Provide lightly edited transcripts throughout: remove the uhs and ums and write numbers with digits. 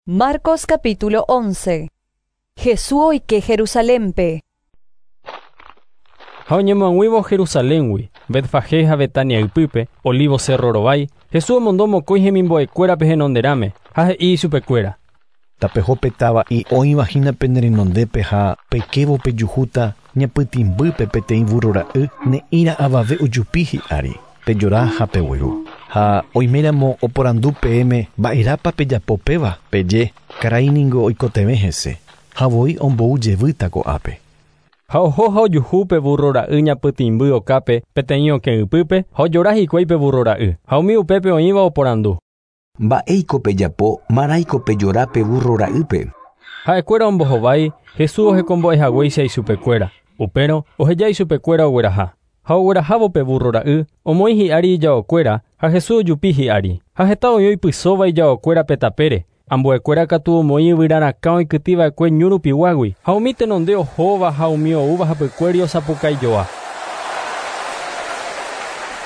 Marcos capítulo 11. Jesús oike Jerusalénpe. Ha oñemoag̃uívo Jerusaléngui, Betfagé ha Betania ypýpe, Olivo cerro rovái, Jesús omondo mokõi hemimbo'ekuérape henonderãme, ha he'i ichupekuéra. Tapeho pe tava'i oĩva hína pene renondépe ha peikévo pejuhúta ñapytĩmbýpe peteĩ burro ra'y ne'ĩra avave ojupi hi'ári, pejora ha pegueru. Ha oiméramo oporandu peẽme mba'erápa pejapo péva, peje, karai ningo oikotevẽ hese, ha voi ombou jevýta ko'ápe. Ha oho ha ojuhu pe burro ra'y ñapytĩmby okápe peteĩ okẽ ypýpe ha ojora hikuái pe burro ra'y, ha umi upépe oĩva oporandu. Mba'éiko pejapo marãiko pejora pe burro ra'ýpe. Ha'ekuéra ombohovái Jesús ohekombo'ehaguéicha ichupekuéra. Upérõ oheja ichupekuéra ogueraha. Ha oguerahávo pe burro ra'y, omoĩ hi'ári ijaokuéra ha Jesús ojupi hi'ári. Ha heta oĩ oipysóva ijaokuéra pe tapére. Ambuekuéra katu omoĩ yvyrarakã oikytĩva'ekue ñu rupiguágui, ha umi tenonde ohóva ha umi oúva hapykuéri osapukaijoa.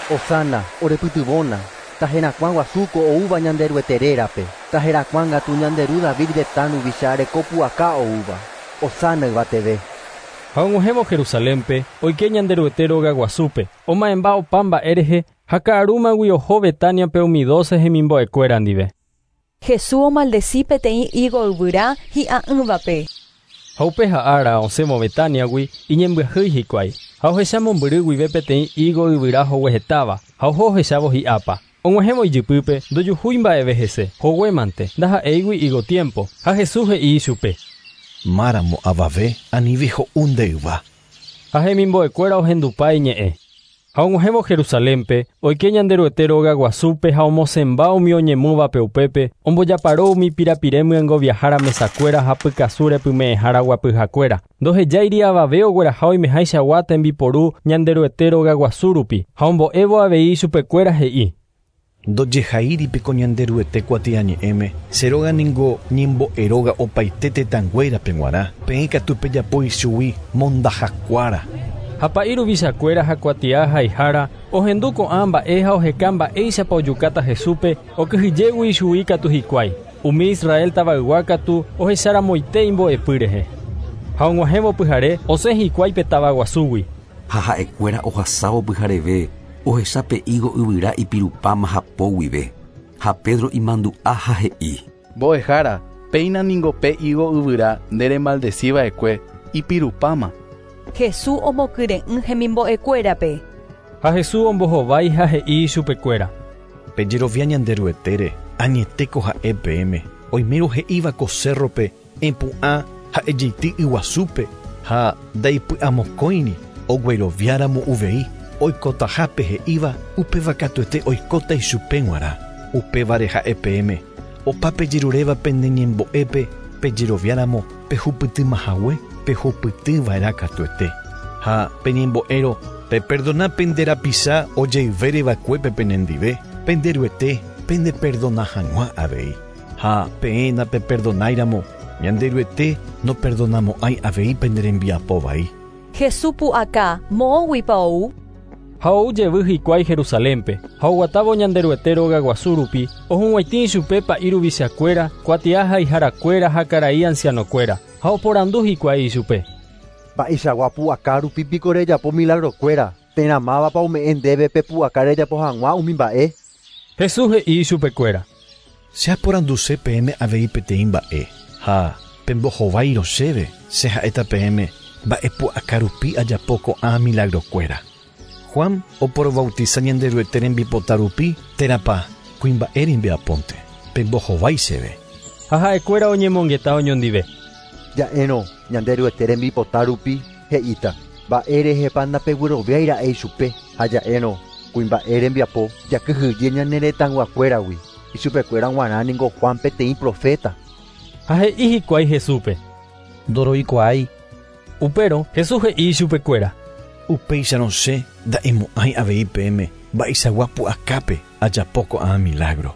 Hosana, orepytyvõna, taherakuã guasúko oúva Ñanderuete rérape, taherakuãngatu Ñanderu David retã ruvicha rekopu'aka oúva. Hosana yvateve. Ha og̃uahẽvo Jerusalénpe, oike Ñanderuete róga guasúpe, oma'ẽmba opa mba'e rehe ha ka'arúmagui oho Betaniape umi 12 hemimbo'ekuéra ndive. Jesús omaldeci peteĩ higo yvyra hi'a'ỹvape. Ha upe ha'ára osẽvo Betaniagui iñembyahýi hikuái, ha ohecha mombyry guive peteĩ higo yvyra hoguehetáva, ha oho ohechávo hi'ápa. Og̃uahẽvo ijypýpe ndojuhúi mba'eve hese, hoguémante, ndaha'éigui higo tiempo, ha Jesús he'i ichupe. Máramo avave anive ho'u nde yva. Ha hemimbo'ekuéra ohendupa iñe'ẽ. Ha og̃uahẽvo Jerusalénpe, oike Ñanderuete róga guasúpe ha omosẽmba umi oñemúvape upépe, ombojaparo umi pirapire myengoviahára mesakuéra ha pykasu repyme'ẽhára guapyhakuéra. Ndohejáiri avave ogueraha oimehaichagua tembiporu Ñanderuete róga guasu rupi, ha ombo'évo avei ichupekuéra he'i. Ndojehaíripiko Ñanderuete kuatiañe'ẽme, che róga ningo ñembo'eróga opaite tetãnguérape g̃uarã, peẽ katu pejapo ichugui mondahakuára. Ha pa'i ruvichakuéra ha kuatia haihára ohendu ko'ã mba'e ha oheka mba'éichapa ojukáta Jesúspe okyhyjégui ichugui katu hikuái. Umi Israel tavaygua katu ohecharamoite imbo'epy rehe. Ha og̃uahẽvo pyhare osẽ hikuái pe tavaguasúgui. Ha ha'ekuéra ohasávo pyhareve ohecha pe higo yvyra ipirupáma hapo guive. Ha Pedro imandu'a ha he'i. Mbo'ehára, péina ningo pe higo yvyra nde remaldeciva'ekue ipirupáma. Jesús omokyre'ỹ hemimbo'ekuérape. Ha Jesús ombohovái ha he'i ichupekuéra. Pejerovia Ñanderuetére, añetéko ha'e peẽme, oimérõ he'íva ko cerrope epu'ã ha ejeity yguasúpe ha ndaipy'amokõiri ogueroviáramo uvei oikotahápe he'íva upéva katuete oikóta ichupe g̃uarã. Upévare ha'e peẽme, opa pejeruréva pende ñembo'épe pejeroviáramo pehupytymahague pehupytyva'erã katuete. Ha peñembo'érõ peperdona pende rapicha ojeyvéreva'ekuépe penendive, Penderuete pendeperdona hag̃ua avei. Ha peẽ napeperdonáiramo, Ñanderuete noperdonamo'ãi avei pende rembiapo vai. Jesús pu'aka moõguipa ou. Ha ou jevy hikuái Jerusalénpe, ha oguatávo Ñanderuete róga guasu rupi, ohug̃uaitĩ ichupe pa'i ruvichakuéra, kuatia haiharakuéra ha karai ancianokuéra, ha oporandu hikuái ichupe. Mba'eichagua pu'aka rupi piko rejapo milagrokuéra, térã mávapa ome'ẽ ndéve pe pu'aka rejapo hag̃ua umi mba'e. Jesús he'i ichupekuéra. Che aporanduse peẽme avei peteĩ mba'e, ha pembohováirõ chéve, che ha'éta peẽme mba'e pu'aka rupi ajapo ko'ã milagrokuéra. Juan oporobautiza Ñanderuete rembipota rupi térãpa kuimba'e rembiapónte, pembohovái chéve. Ha ha'ekuéra oñemongeta oñondive. Ja'érõ Ñanderuete rembipota rupi he'íta, mba'érehepa ndapegueroviáira'e ichupe, ha ja'érõ kuimba'e rembiapo jakyhyje ñane retãyguakuéragui, ichupekuéra g̃uarã ningo Juan peteĩ profeta. Ha he'i hikuái Jesúspe. Ndoroikuaái. Upérõ Jesús he'i ichupekuéra. Upéicharõ che nda'emo'ãi avei peẽme mba'eichagua pu'akápe ajapo ko'ã milagro.